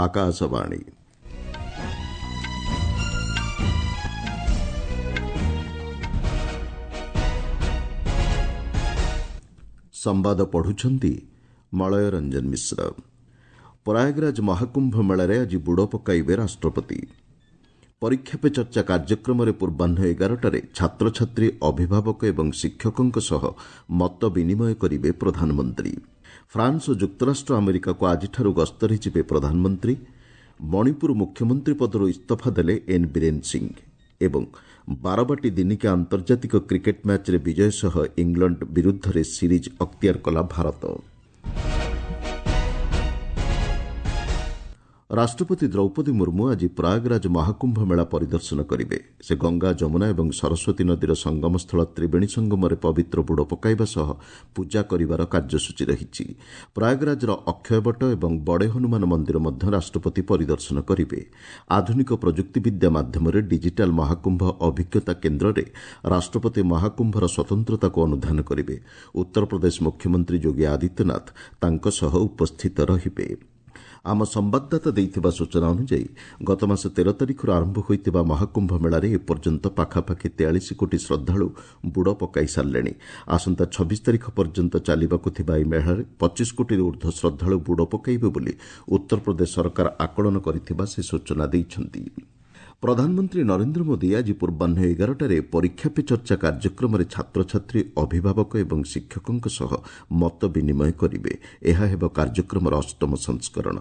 ଆକାଶବାଣୀ। ସମ୍ବାଦ ପଢୁଛନ୍ତି ମଳୟ ରଞ୍ଜନ ମିଶ୍ର। ପ୍ରୟାଗରାଜ ମହାକୁମ୍ଭ ମେଳାରେ ଆଜି ବୁଡ଼ ପକାଇବେ ରାଷ୍ଟ୍ରପତି। ପରୀକ୍ଷା ପେ ଚର୍ଚ୍ଚା କାର୍ଯ୍ୟକ୍ରମରେ ପୂର୍ବାହ୍ନ 11ଟାରେ ଛାତ୍ରଛାତ୍ରୀ, ଅଭିଭାବକ ଏବଂ ଶିକ୍ଷକଙ୍କ ସହ ମତ ବିନିମୟ କରିବେ ପ୍ରଧାନମନ୍ତ୍ରୀ। ଫ୍ରାନ୍ସ ଓ ଯୁକ୍ତରାଷ୍ଟ୍ର ଆମେରିକାକୁ ଆଜିଠାରୁ ଗସ୍ତରେ ଯିବେ ପ୍ରଧାନମନ୍ତ୍ରୀ। ମଣିପୁର ମୁଖ୍ୟମନ୍ତ୍ରୀ ପଦରୁ ଇସ୍ତଫା ଦେଲେ ଏନ୍ ବୀରେନ୍ ସିଂ ଏବଂ ବାରବାଟୀ ଦିନିକିଆ ଆନ୍ତର୍ଜାତିକ କ୍ରିକେଟ୍ ମ୍ୟାଚ୍ରେ ବିଜୟ ସହ ଇଂଲଣ୍ଡ ବିରୁଦ୍ଧରେ ସିରିଜ୍ ଅକ୍ତିଆର କଲା ଭାରତ। ରାଷ୍ଟ୍ରପତି ଦ୍ରୌପଦୀ ମୁର୍ମୁ ଆଜି ପ୍ରୟାଗରାଜ ମହାକୁମ୍ଭ ମେଳା ପରିଦର୍ଶନ କରିବେ। ସେ ଗଙ୍ଗା, ଯମୁନା ଏବଂ ସରସ୍ୱତୀ ନଦୀର ସଙ୍ଗମସ୍ଥଳ ତ୍ରିବେଣୀ ସଙ୍ଗମରେ ପବିତ୍ର ବୁଡ଼ ପକାଇବା ସହ ପୂଜା କରିବାର କାର୍ଯ୍ୟସୂଚୀ ରହିଛି। ପ୍ରୟାଗରାଜର ଅକ୍ଷୟବଟ ଏବଂ ବଡ଼େ ହନୁମାନ ମନ୍ଦିର ମଧ୍ୟ ରାଷ୍ଟ୍ରପତି ପରିଦର୍ଶନ କରିବେ। ଆଧୁନିକ ପ୍ରଯୁକ୍ତିବିଦ୍ୟା ମାଧ୍ୟମରେ ଡିଜିଟାଲ୍ ମହାକୁମ୍ଭ ଅଭିଜ୍ଞତା କେନ୍ଦ୍ରରେ ରାଷ୍ଟ୍ରପତି ମହାକୁମ୍ଭର ସ୍ୱତନ୍ତ୍ରତାକୁ ଅନୁଧ୍ୟାନ କରିବେ। ଉତ୍ତରପ୍ରଦେଶ ମୁଖ୍ୟମନ୍ତ୍ରୀ ଯୋଗୀ ଆଦିତ୍ୟନାଥ ତାଙ୍କ ସହ ଉପସ୍ଥିତ ରହିବେ। ଆମ ସମ୍ବାଦଦାତା ଦେଇଥିବା ସୂଚନା ଅନୁଯାୟୀ, ଗତମାସ 13 ତାରିଖରୁ ଆରମ୍ଭ ହୋଇଥିବା ମହାକୁମ୍ଭ ମେଳାରେ ଏପର୍ଯ୍ୟନ୍ତ ପାଖାପାଖି 43 କୋଟି ଶ୍ରଦ୍ଧାଳୁ ବୁଡ଼ ପକାଇ ସାରିଲେଣି। ଆସନ୍ତା 26 ତାରିଖ ପର୍ଯ୍ୟନ୍ତ ଚାଲିବାକୁ ଥିବା ଏହି ମେଳାରେ 25 କୋଟିରୁ ଉର୍ଦ୍ଧ୍ୱ ଶ୍ରଦ୍ଧାଳୁ ବୁଡ଼ ପକାଇବେ ବୋଲି ଉତ୍ତରପ୍ରଦେଶ ସରକାର ଆକଳନ କରିଥିବା ସେ ସୂଚନା ଦେଇଛନ୍ତି। ପ୍ରଧାନମନ୍ତ୍ରୀ ନରେନ୍ଦ୍ର ମୋଦି ଆଜି ପୂର୍ବାହ୍ନ 11ଟାରେ ପରୀକ୍ଷା ପେ ଚର୍ଚ୍ଚା କାର୍ଯ୍ୟକ୍ରମରେ ଛାତ୍ରଛାତ୍ରୀ, ଅଭିଭାବକ ଏବଂ ଶିକ୍ଷକଙ୍କ ସହ ମତ ବିନିମୟ କରିବେ। ଏହା ହେବ କାର୍ଯ୍ୟକ୍ରମର ଅଷ୍ଟମ ସଂସ୍କରଣ।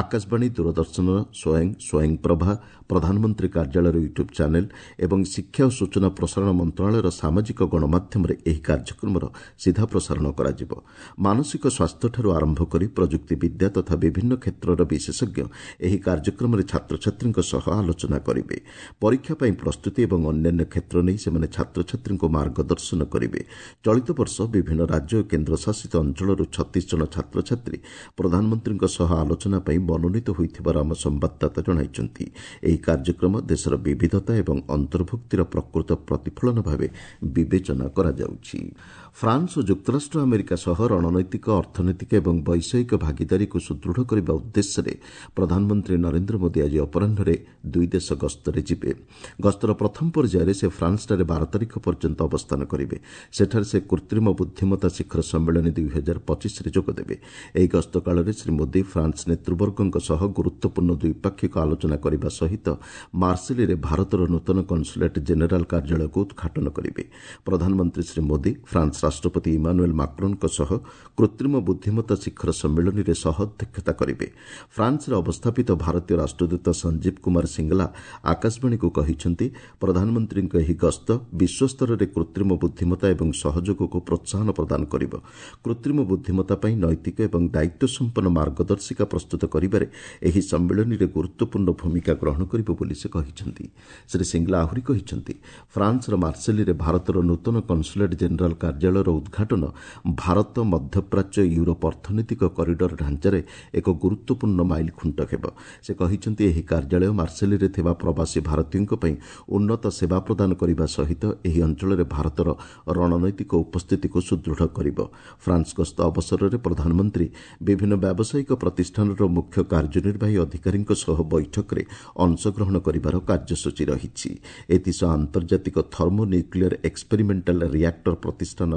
ଆକାଶବାଣୀ, ଦୂରଦର୍ଶନ, ସ୍ୱୟଂ, ସ୍ୱୟଂପ୍ରଭା, ପ୍ରଧାନମନ୍ତ୍ରୀ କାର୍ଯ୍ୟାଳୟର ୟୁଟ୍ୟୁବ୍ ଚ୍ୟାନେଲ୍ ଏବଂ ଶିକ୍ଷା ଓ ସୂଚନା ପ୍ରସାରଣ ମନ୍ତ୍ରଣାଳୟର ସାମାଜିକ ଗଣମାଧ୍ୟମରେ ଏହି କାର୍ଯ୍ୟକ୍ରମର ସିଧା ପ୍ରସାରଣ କରାଯିବ। ମାନସିକ ସ୍ୱାସ୍ଥ୍ୟଠାରୁ ଆରମ୍ଭ କରି ପ୍ରଯୁକ୍ତିବିଦ୍ୟା ତଥା ବିଭିନ୍ନ କ୍ଷେତ୍ରର ବିଶେଷଜ୍ଞ ଏହି କାର୍ଯ୍ୟକ୍ରମରେ ଛାତ୍ରଛାତ୍ରୀଙ୍କ ସହ ଆଲୋଚନା କରିବେ। ପରୀକ୍ଷା ପାଇଁ ପ୍ରସ୍ତୁତି ଏବଂ ଅନ୍ୟାନ୍ୟ କ୍ଷେତ୍ର ନେଇ ସେମାନେ ଛାତ୍ରଛାତ୍ରୀଙ୍କୁ ମାର୍ଗଦର୍ଶନ କରିବେ। ଚଳିତ ବର୍ଷ ବିଭିନ୍ନ ରାଜ୍ୟ ଓ କେନ୍ଦ୍ରଶାସିତ ଅଞ୍ଚଳରୁ 36 ଜଣ ଛାତ୍ରଛାତ୍ରୀ ପ୍ରଧାନମନ୍ତ୍ରୀଙ୍କ ସହ ଆଲୋଚନା ପାଇଁ ମନୋନୀତ ହୋଇଥିବାର ଆମ ସମ୍ବାଦଦାତା ଜଣାଇଛନ୍ତି। ଏହି କାର୍ଯ୍ୟକ୍ରମ ଦେଶର ବିବିଧତା ଏବଂ ଅନ୍ତର୍ଭୁକ୍ତିର ପ୍ରକୃତ ପ୍ରତିଫଳନ ଭାବେ ବିବେଚନା କରାଯାଉଛି। ଫ୍ରାନ୍ସ ଓ ଯୁକ୍ତରାଷ୍ଟ୍ର ଆମେରିକା ସହ ରଣନୈତିକ, ଅର୍ଥନୈତିକ ଏବଂ ବୈଷୟିକ ଭାଗିଦାରୀକୁ ସୁଦୃଢ଼ କରିବା ଉଦ୍ଦେଶ୍ୟରେ ପ୍ରଧାନମନ୍ତ୍ରୀ ନରେନ୍ଦ୍ର ମୋଦି ଆଜି ଅପରାହ୍ନରେ ଦୁଇ ଦେଶ ଗସ୍ତରେ ଯିବେ। ଗସ୍ତର ପ୍ରଥମ ପର୍ଯ୍ୟାୟରେ ସେ ଫ୍ରାନ୍ସଠାରେ 12 ତାରିଖ ପର୍ଯ୍ୟନ୍ତ ଅବସ୍ଥାନ କରିବେ। ସେଠାରେ ସେ କୃତ୍ରିମ ବୁଦ୍ଧିମତ୍ତା ଶିଖର ସମ୍ମିଳନୀ 2025ରେ ଯୋଗଦେବେ। ଏହି ଗସ୍ତ କାଳରେ ଶ୍ରୀ ମୋଦି ଫ୍ରାନ୍ସ ନେତୃବର୍ଗଙ୍କ ସହ ଗୁରୁତ୍ୱପୂର୍ଣ୍ଣ ଦ୍ୱିପାକ୍ଷିକ ଆଲୋଚନା କରିବା ସହିତ ମାର୍ସେଲିରେ ଭାରତର ନୂତନ କନ୍ସୁଲେଟ୍ ଜେନେରାଲ୍ କାର୍ଯ୍ୟାଳୟକୁ ଉଦ୍ଘାଟନ କରିବେ। ପ୍ରଧାନମନ୍ତ୍ରୀ ଶ୍ରୀ ମୋଦି ଫ୍ରାନ୍ସ ରାଷ୍ଟ୍ରପତି ଇମାନୁଏଲ୍ ମାକ୍ରୋନ୍ଙ୍କ ସହ କୃତ୍ରିମ ବୁଦ୍ଧିମତ୍ତା ଶିଖର ସମ୍ମିଳନୀରେ ସହ ଅଧ୍ୟକ୍ଷତା କରିବେ। ଫ୍ରାନ୍ସରେ ଅବସ୍ଥାପିତ ଭାରତୀୟ ରାଷ୍ଟ୍ରଦୂତ ସଞ୍ଜୀବ କୁମାର ସିଙ୍ଗଲା ଆକାଶବାଣୀକୁ କହିଛନ୍ତି, ପ୍ରଧାନମନ୍ତ୍ରୀଙ୍କ ଏହି ଗସ୍ତ ବିଶ୍ୱସ୍ତରରେ କୃତ୍ରିମ ବୁଦ୍ଧିମତ୍ତା ଏବଂ ସହଯୋଗକୁ ପ୍ରୋତ୍ସାହନ ପ୍ରଦାନ କରିବ। କୃତ୍ରିମ ବୁଦ୍ଧିମତ୍ତା ପାଇଁ ନୈତିକ ଏବଂ ଦାୟିତ୍ୱସମ୍ପନ୍ନ ମାର୍ଗଦର୍ଶିକା ପ୍ରସ୍ତୁତ କରିବାରେ ଏହି ସମ୍ମିଳନୀରେ ଗୁରୁତ୍ୱପୂର୍ଣ୍ଣ ଭୂମିକା ଗ୍ରହଣ କରିବ ବୋଲି ସେ କହିଛନ୍ତି। ଶ୍ରୀ ସିଙ୍ଗଲା ଆହୁରି କହିଛନ୍ତି, ଫ୍ରାନ୍ସର ମାର୍ସେଲିରେ ଭାରତର ନୂତନ କନ୍ସୁଲେଟ୍ ଜେନେରାଲ୍ କାର୍ଯ୍ୟାଳୟର ଉଦ୍ଘାଟନ ଭାରତ ମଧ୍ୟପ୍ରାଚ୍ୟ ୟୁରୋପ ଅର୍ଥନୈତିକ କରିଡର ଢାଞ୍ଚାରେ ଏକ ଗୁରୁତ୍ୱପୂର୍ଣ୍ଣ ମାଇଲଖୁଣ୍ଟ ହେବ। ସେ କହିଛନ୍ତି, ଏହି କାର୍ଯ୍ୟାଳୟ ମାର୍ସେଲିରେ ଥିବା ପ୍ରବାସୀ ଭାରତୀୟଙ୍କ ପାଇଁ ଉନ୍ନତ ସେବା ପ୍ରଦାନ କରିବା ସହିତ ଏହି ଅଞ୍ଚଳରେ ଭାରତର ରଣନୈତିକ ଉପସ୍ଥିତିକୁ ସୁଦୃଢ଼ କରିବ। ଫ୍ରାନ୍ସ ଗସ୍ତ ଅବସରରେ ପ୍ରଧାନମନ୍ତ୍ରୀ ବିଭିନ୍ନ ବ୍ୟାବସାୟିକ ପ୍ରତିଷ୍ଠାନର ମୁଖ୍ୟ କାର୍ଯ୍ୟନିର୍ବାହୀ ଅଧିକାରୀଙ୍କ ସହ ବୈଠକରେ ଅଂଶଗ୍ରହଣ କରିବାର କାର୍ଯ୍ୟସୂଚୀ ରହିଛି। ଏଥିସହ ଆନ୍ତର୍ଜାତିକ ଥର୍ମୋ ନ୍ୟୁକ୍ଲିୟର ଏକ୍ସପେରିମେଣ୍ଟାଲ ରିଆକ୍ଟର ପ୍ରତିଷ୍ଠାନ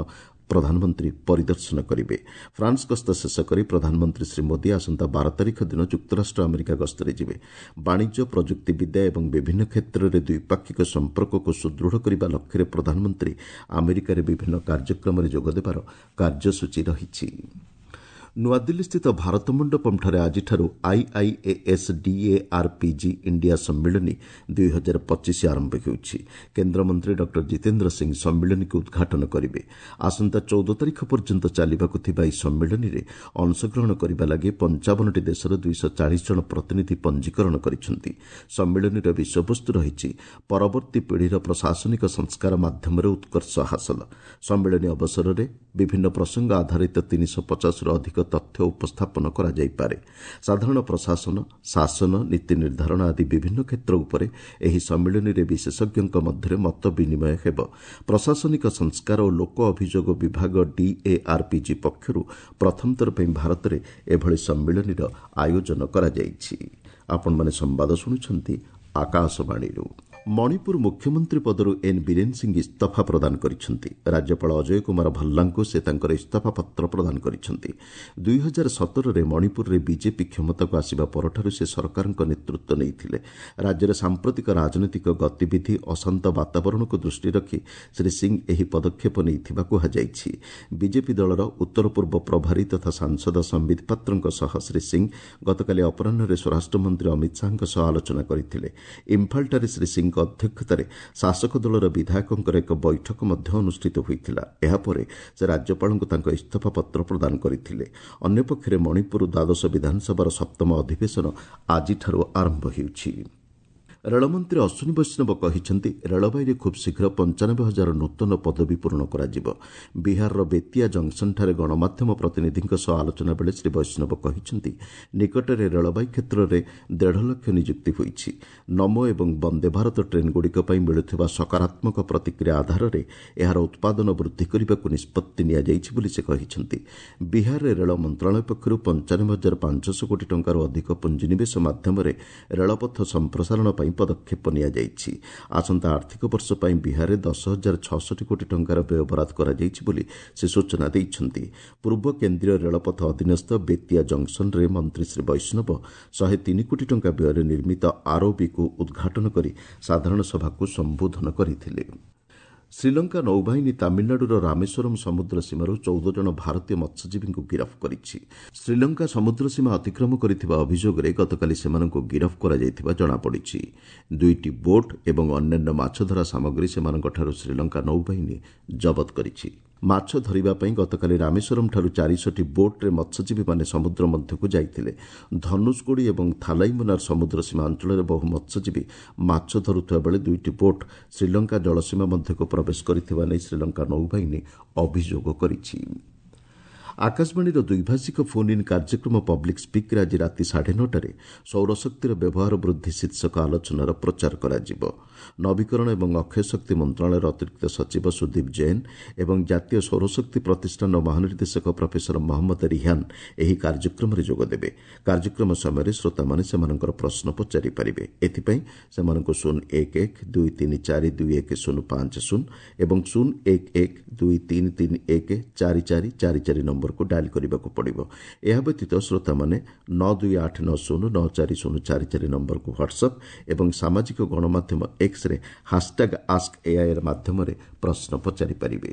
ପ୍ରଧାନମନ୍ତ୍ରୀ ପରିଦର୍ଶନ କରିବେ। ଫ୍ରାନ୍ସ ଗସ୍ତ ଶେଷ କରି ପ୍ରଧାନମନ୍ତ୍ରୀ ଶ୍ରୀ ମୋଦି ଆସନ୍ତା 12 ତାରିଖ ଦିନ ଯୁକ୍ତରାଷ୍ଟ୍ର ଆମେରିକା ଗସ୍ତରେ ଯିବେ। ବାଣିଜ୍ୟ, ପ୍ରଯୁକ୍ତିବିଦ୍ୟା ଏବଂ ବିଭିନ୍ନ କ୍ଷେତ୍ରରେ ଦ୍ୱିପାକ୍ଷିକ ସମ୍ପର୍କକୁ ସୁଦୃଢ଼ କରିବା ଲକ୍ଷ୍ୟରେ ପ୍ରଧାନମନ୍ତ୍ରୀ ଆମେରିକାରେ ବିଭିନ୍ନ କାର୍ଯ୍ୟକ୍ରମରେ ଯୋଗଦେବାର କାର୍ଯ୍ୟସୂଚୀ ରହିଛି। ନୂଆଦିଲ୍ଲୀସ୍ଥିତ ଭାରତ ମଣ୍ଡପମ୍ଠାରେ ଆଜିଠାରୁ ଆଇଆଇଏଏସ୍ ଡିଏଆର୍ପିଜି ଇଣ୍ଡିଆ ସମ୍ମିଳନୀ 2025 ଆରମ୍ଭ ହେଉଛି। କେନ୍ଦ୍ରମନ୍ତ୍ରୀ ଡକ୍ଟର ଜିତେନ୍ଦ୍ର ସିଂ ସମ୍ମିଳନୀକୁ ଉଦ୍ଘାଟନ କରିବେ। ଆସନ୍ତା 14 ତାରିଖ ପର୍ଯ୍ୟନ୍ତ ଚାଲିବାକୁ ଥିବା ଏହି ସମ୍ମିଳନୀରେ ଅଂଶଗ୍ରହଣ କରିବା ଲାଗି 55ଟି ଦେଶର 240 ଜଣ ପ୍ରତିନିଧି ପଞ୍ଜୀକରଣ କରିଛନ୍ତି। ସମ୍ମିଳନୀର ବିଷୟବସ୍ତୁ ରହିଛି ପରବର୍ତ୍ତୀ ପିଢ଼ିର ପ୍ରଶାସନିକ ସଂସ୍କାର ମାଧ୍ୟମରେ ଉତ୍କର୍ଷ ହାସଲ। ସମ୍ମିଳନୀ ଅବସରରେ ବିଭିନ୍ନ ପ୍ରସଙ୍ଗ ଆଧାରିତ 350ରୁ ଅଧିକ ତଥ୍ୟ ଉପସ୍ଥାପନ କରାଯାଇପାରେ। ସାଧାରଣ ପ୍ରଶାସନ, ଶାସନ, ନୀତି ନିର୍ଦ୍ଧାରଣ ଆଦି ବିଭିନ୍ନ କ୍ଷେତ୍ର ଉପରେ ଏହି ସମ୍ମିଳନୀରେ ବିଶେଷଜ୍ଞଙ୍କ ମଧ୍ୟରେ ମତ ବିନିମୟ ହେବ। ପ୍ରଶାସନିକ ସଂସ୍କାର ଓ ଲୋକ ଅଭିଯୋଗ ବିଭାଗ ଡିଏଆର୍ପିଜି ପକ୍ଷରୁ ପ୍ରଥମଥର ପାଇଁ ଭାରତରେ ଏଭଳି ସମ୍ମିଳନୀର ଆୟୋଜନ କରାଯାଇଛି। ଆପଣମାନେ ସମ୍ବାଦ ଶୁଣୁଛନ୍ତି ଆକାଶବାଣୀରୁ। ମଣିପୁର ମୁଖ୍ୟମନ୍ତ୍ରୀ ପଦରୁ ଏନ୍ ବୀରେନ୍ ସିଂ ଇସ୍ତଫା ପ୍ରଦାନ କରିଛନ୍ତି। ରାଜ୍ୟପାଳ ଅଜୟ କୁମାର ଭଲ୍ଲାଙ୍କୁ ସେ ତାଙ୍କର ଇସ୍ତଫା ପତ୍ର ପ୍ରଦାନ କରିଛନ୍ତି। 2017ରେ ମଣିପୁରରେ ବିଜେପି କ୍ଷମତାକୁ ଆସିବା ପରଠାରୁ ସେ ସରକାରଙ୍କ ନେତୃତ୍ୱ ନେଇଥିଲେ। ରାଜ୍ୟରେ ସାମ୍ପ୍ରତିକ ରାଜନୈତିକ ଗତିବିଧି, ଅଶାନ୍ତ ବାତାବରଣକୁ ଦୃଷ୍ଟିରେ ରଖି ଶ୍ରୀ ସିଂ ଏହି ପଦକ୍ଷେପ ନେଇଥିବା କୁହାଯାଇଛି। ବିଜେପି ଦଳର ଉତ୍ତର ପୂର୍ବ ପ୍ରଭାରୀ ତଥା ସାଂସଦ ସମ୍ବିତ ପାତ୍ରଙ୍କ ସହ ଶ୍ରୀ ସିଂ ଗତକାଲି ଅପରାହ୍ନରେ ସ୍ୱରାଷ୍ଟ୍ରମନ୍ତ୍ରୀ ଅମିତ ଶାହାଙ୍କ ସହ ଆଲୋଚନା କରିଥିଲେ। ଇମ୍ଫାଲଠାରେ ଶ୍ରୀ ସିଂଙ୍କ ଅଧ୍ୟକ୍ଷତାରେ ଶାସକ ଦଳର ବିଧାୟକଙ୍କର ଏକ ବୈଠକ ମଧ୍ୟ ଅନୁଷ୍ଠିତ ହୋଇଥିଲା। ଏହାପରେ ସେ ରାଜ୍ୟପାଳଙ୍କୁ ତାଙ୍କ ଇସ୍ତଫା ପତ୍ର ପ୍ରଦାନ କରିଥିଲେ। ଅନ୍ୟପକ୍ଷରେ ମଣିପୁର ଦ୍ୱାଦଶ ବିଧାନସଭାର ସପ୍ତମ ଅଧିବେଶନ ଆଜିଠାରୁ ଆରମ୍ଭ ହେଉଛି। ରେଳମନ୍ତ୍ରୀ ଅଶ୍ୱିନୀ ବୈଷ୍ଣବ କହିଛନ୍ତି, ରେଳବାଇରେ ଖୁବ୍ ଶୀଘ୍ର 95,000 ନୂତନ ପଦବୀ ପୂରଣ କରାଯିବ। ବିହାରର ବେତିଆ ଜଙ୍କସନ୍ଠାରେ ଗଣମାଧ୍ୟମ ପ୍ରତିନିଧିଙ୍କ ସହ ଆଲୋଚନା ବେଳେ ଶ୍ରୀ ବୈଷ୍ଣବ କହିଛନ୍ତି, ନିକଟରେ ରେଳବାଇ କ୍ଷେତ୍ରରେ 1.5 ଲକ୍ଷ ନିଯୁକ୍ତି ହୋଇଛି। ନମୋ ଏବଂ ବନ୍ଦେ ଭାରତ ଟ୍ରେନ୍ଗୁଡ଼ିକ ପାଇଁ ମିଳୁଥିବା ସକାରାତ୍ମକ ପ୍ରତିକ୍ରିୟା ଆଧାରରେ ଏହାର ଉତ୍ପାଦନ ବୃଦ୍ଧି କରିବାକୁ ନିଷ୍ପତ୍ତି ନିଆଯାଇଛି ବୋଲି ସେ କହିଛନ୍ତି। ବିହାରରେ ରେଳ ମନ୍ତ୍ରଣାଳୟ ପକ୍ଷରୁ 95,500 କୋଟି ଟଙ୍କାରୁ ଅଧିକ ପୁଞ୍ଜିନିବେଶ ମାଧ୍ୟମରେ ରେଳପଥ ସମ୍ପ୍ରସାରଣ ପାଇଁ ପଦକ୍ଷେପ ନିଆଯାଇଛି। ଆସନ୍ତା ଆର୍ଥିକ ବର୍ଷ ପାଇଁ ବିହାରରେ 10,066 କୋଟି ଟଙ୍କାର ବ୍ୟୟବରାଦ କରାଯାଇଛି ବୋଲି ସେ ସୂଚନା ଦେଇଛନ୍ତି। ପୂର୍ବ କେନ୍ଦ୍ରୀୟ ରେଳପଥ ଅଧୀନସ୍ଥ ବେତିଆ ଜଙ୍କସନ୍ରେ ମନ୍ତ୍ରୀ ଶ୍ରୀ ବୈଷ୍ଣବ 103 କୋଟି ଟଙ୍କା ବ୍ୟୟରେ ନିର୍ମିତ ଆର୍ଓବିକୁ ଉଦ୍ଘାଟନ କରି ସାଧାରଣ ସଭାକୁ ସମ୍ବୋଧନ କରିଥିଲେ। ଶ୍ରୀଲଙ୍କା ନୌବାହିନୀ ତାମିଲନାଡୁର ରାମେଶ୍ୱରମ୍ ସମୁଦ୍ର ସୀମାରୁ 14 ଜଣ ଭାରତୀୟ ମତ୍ସ୍ୟଜୀବୀଙ୍କୁ ଗିରଫ କରିଛି। ଶ୍ରୀଲଙ୍କା ସମୁଦ୍ର ସୀମା ଅତିକ୍ରମ କରିଥିବା ଅଭିଯୋଗରେ ଗତକାଲି ସେମାନଙ୍କୁ ଗିରଫ କରାଯାଇଥିବା ଜଣାପଡ଼ିଛି। 2ଟି ବୋଟ୍ ଏବଂ ଅନ୍ୟାନ୍ୟ ମାଛଧରା ସାମଗ୍ରୀ ସେମାନଙ୍କଠାରୁ ଶ୍ରୀଲଙ୍କା ନୌବାହିନୀ ଜବତ କରିଛି। ମାଛ ଧରିବା ପାଇଁ ଗତକାଲି ରାମେଶ୍ୱରମ୍ଠାରୁ 400ଟି ବୋଟ୍ରେ ମତ୍ସ୍ୟଜୀବୀମାନେ ସମୁଦ୍ର ମଧ୍ୟକୁ ଯାଇଥିଲେ। ଧନୁଷକୋଡ଼ି ଏବଂ ଥାଲାଇମୁନାର ସମୁଦ୍ର ସୀମା ଅଞ୍ଚଳରେ ବହୁ ମତ୍ସ୍ୟଜୀବୀ ମାଛ ଧରୁଥିବା ବେଳେ 2ଟି ବୋଟ୍ ଶ୍ରୀଲଙ୍କା ଜଳସୀମା ମଧ୍ୟକୁ ପ୍ରବେଶ କରିଥିବା ନେଇ ଶ୍ରୀଲଙ୍କା ନୌବାହିନୀ ଅଭିଯୋଗ କରିଛି। ଆକାଶବାଣୀର ଦ୍ୱିଭାଷିକ ଫୋନ୍ ଇନ୍ କାର୍ଯ୍ୟକ୍ରମ ପବ୍ଲିକ୍ ସ୍ପିକ୍ରେ ଆଜି ରାତି 9:30ରେ ସୌରଶକ୍ତିର ବ୍ୟବହାର ବୃଦ୍ଧି ଶୀର୍ଷକ ଆଲୋଚନାର ପ୍ରଚାର କରାଯିବ। ନବୀକରଣ ଏବଂ ଅକ୍ଷୟ ଶକ୍ତି ମନ୍ତ୍ରଣାଳୟର ଅତିରିକ୍ତ ସଚିବ ସୁଦୀପ ଜୈନ ଏବଂ ଜାତୀୟ ସୌରଶକ୍ତି ପ୍ରତିଷ୍ଠାନର ମହାନିର୍ଦ୍ଦେଶକ ପ୍ରଫେସର ମହମ୍ମଦ ରିହାନ ଏହି କାର୍ଯ୍ୟକ୍ରମରେ ଯୋଗଦେବେ। କାର୍ଯ୍ୟକ୍ରମ ସମୟରେ ଶ୍ରୋତାମାନେ ସେମାନଙ୍କର ପ୍ରଶ୍ନ ପଚାରିପାରିବେ। ଏଥିପାଇଁ ସେମାନଙ୍କୁ 0 1 1 2 3 4 2 1 0 5 0 ଏବଂ 0 1 1 2 3 3 1 4 4 4 4 ନମ୍ବରକୁ ଡାଏଲ୍ କରିବାକୁ ପଡ଼ିବ। ଏହା ବ୍ୟତୀତ ଶ୍ରୋତାମାନେ 9 2 8 9 0 9 4 0 4 4 ନମ୍ବରକୁ ହ୍ୱାଟ୍ସଆପ୍ ଏବଂ ସାମାଜିକ ଗଣମାଧ୍ୟମ ଏକ୍ସରେ ହାସ୍ଟ୍ୟାଗ୍ ଆସ୍କ ଏଆଇଆର୍ ମାଧ୍ୟମରେ ପ୍ରଶ୍ନ ପଚାରିପାରିବେ।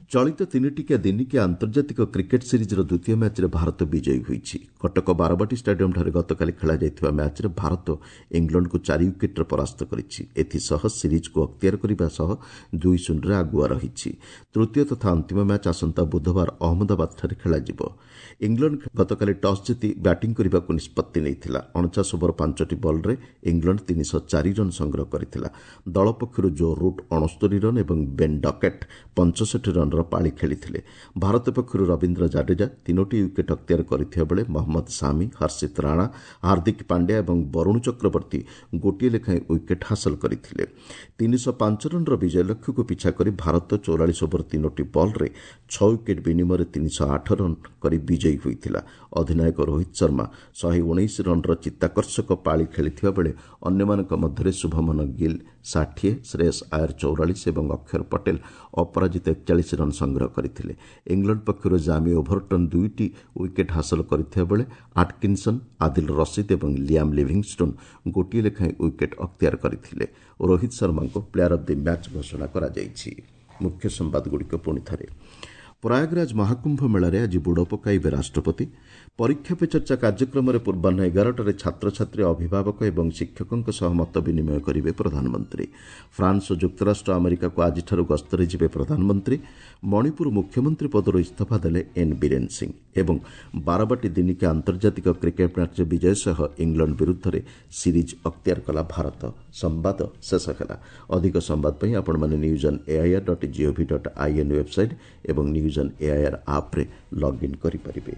ଚଳିତ ତିନିଟିକିଆ ଦିନିକିଆ ଆନ୍ତର୍ଜାତିକ କ୍ରିକେଟ୍ ସିରିଜ୍ର ଦ୍ୱିତୀୟ ମ୍ୟାଚ୍ରେ ଭାରତ ବିଜୟୀ ହୋଇଛି। କଟକ ବାରବାଟୀ ଷ୍ଟାଡିୟମ୍ଠାରେ ଗତକାଲି ଖେଳାଯାଇଥିବା ମ୍ୟାଚ୍ରେ ଭାରତ ଇଂଲଣ୍ଡକୁ 4 ୱିକେଟ୍ରେ ପରାସ୍ତ କରିଛି। ଏଥିସହ ସିରିଜ୍କୁ ଅକ୍ତିଆର କରିବା ସହ 2-0ରେ ଆଗୁଆ ରହିଛି। ତୃତୀୟ ତଥା ଅନ୍ତିମ ମ୍ୟାଚ୍ ଆସନ୍ତା ବୁଧବାର ଅହମ୍ମଦାବାଦଠାରେ ଖେଳାଯିବ। ଇଂଲଣ୍ଡ ଗତକାଲି ଟସ୍ ଜିତି ବ୍ୟାଟିଂ କରିବାକୁ ନିଷ୍ପତ୍ତି ନେଇଥିଲା। 49 ଓଭର 5ଟି ବଲ୍ରେ ଇଂଲଣ୍ଡ 304 ରନ୍ ସଂଗ୍ରହ କରିଥିଲା। ଦଳ ପକ୍ଷରୁ ଜୋ ରୁଟ୍ 69 ରନ୍ ଏବଂ ବେନ୍ ଡକେଟ୍ 65 ରନ୍ର ପାଳି ଖେଳିଥିଲେ। ଭାରତ ପକ୍ଷରୁ ରବୀନ୍ଦ୍ର ଜାଡେଜା 3ଟି ୱିକେଟ୍ ଅକ୍ତିଆର କରିଥିବା ବେଳେ ମହମ୍ମଦ ସାମି, ହର୍ଷିତ ରାଣା, ହାର୍ଦ୍ଦିକ ପାଣ୍ଡ୍ୟା ଏବଂ ବରୁଣ ଚକ୍ରବର୍ତ୍ତୀ ଗୋଟିଏ ଲେଖାଏଁ ୱିକେଟ୍ ହାସଲ କରିଥିଲେ। 305 ରନ୍ର ବିଜୟ ଲକ୍ଷ୍ୟକୁ ପିଛା କରି ଭାରତ 44 ଓଭର 3ଟି ବଲ୍ରେ 6 ୱିକେଟ୍ ବିନିମୟରେ 308 ରନ୍ କରି ବିଜୟୀ ହୋଇଥିଲା। ଅଧିନାୟକ ରୋହିତ ଶର୍ମା 119 ରନ୍ର ଚିତ୍ତାକର୍ଷକ ପାଳି ଖେଳିଥିବା ବେଳେ ଅନ୍ୟମାନଙ୍କ ମଧ୍ୟରେ ଶୁଭମନ ଗିଲ୍ 60, ଶ୍ରେୟସ୍ ଆୟର 44 ଏବଂ ଅକ୍ଷର ପଟେଲ ଅପରାଜିତ 41 ରନ୍ ସଂଗ୍ରହ କରିଥିଲେ। ଇଂଲଣ୍ଡ ପକ୍ଷରୁ ଜାମି ଓଭରଟନ୍ 2ଟି ୱିକେଟ୍ ହାସଲ କରିଥିବା ବେଳେ ଆଟକିନ୍ସନ୍, ଆଦିଲ ରସିଦ୍ ଏବଂ ଲିଆମ୍ ଲିଭିଂଷ୍ଟୋନ୍ ଗୋଟିଏ ଲେଖାଏଁ ୱିକେଟ୍ ଅକ୍ତିଆର କରିଥିଲେ। ରୋହିତ ଶର୍ମାଙ୍କୁ ପ୍ଲେୟାର ଅଫ୍ the match ଘୋଷଣା କରାଯାଇଛି। ମୁଖ୍ୟ ସମ୍ବାଦଗୁଡ଼ିକ ପୁଣି ଥରେ। ପ୍ରୟାଗରାଜ ମହାକୁମ୍ଭ ମେଳାରେ ଆଜି ବୁଡ଼ ପକାଇବେ ରାଷ୍ଟ୍ରପତି। ପରୀକ୍ଷା ପେ ଚର୍ଚ୍ଚା କାର୍ଯ୍ୟକ୍ରମରେ ପୂର୍ବାହ୍ନ 11ଟାରେ ଛାତ୍ରଛାତ୍ରୀ, ଅଭିଭାବକ ଏବଂ ଶିକ୍ଷକଙ୍କ ସହ ମତ ବିନିମୟ କରିବେ ପ୍ରଧାନମନ୍ତ୍ରୀ। ଫ୍ରାନ୍ସ ଓ ଯୁକ୍ତରାଷ୍ଟ୍ର ଆମେରିକାକୁ ଆଜିଠାରୁ ଗସ୍ତରେ ଯିବେ ପ୍ରଧାନମନ୍ତ୍ରୀ। ମଣିପୁର ମୁଖ୍ୟମନ୍ତ୍ରୀ ପଦରୁ ଇସ୍ତଫା ଦେଲେ ଏନ୍ ବୀରେନ୍ ସିଂ ଏବଂ ବାରବାଟୀ ଦିନିକିଆ ଆନ୍ତର୍ଜାତିକ କ୍ରିକେଟ୍ ମ୍ୟାଚ୍ରେ ବିଜୟ ସହ ଇଂଲଣ୍ଡ ବିରୁଦ୍ଧରେ ସିରିଜ୍ ଅକ୍ତିଆର କଲା ଭାରତ। ସମ୍ବାଦ ଶେଷ ହେଲା। ଅଧିକ ସମ୍ବାଦ ପାଇଁ ଆପଣମାନେ news on AIR dot gov dot in website ଏବଂ ନ୍ୟୁଜ୍ ଅନ୍ ଏଆଇଆର୍ ଆପ୍ରେ ଲଗ୍ଇନ୍ କରିପାରିବେ।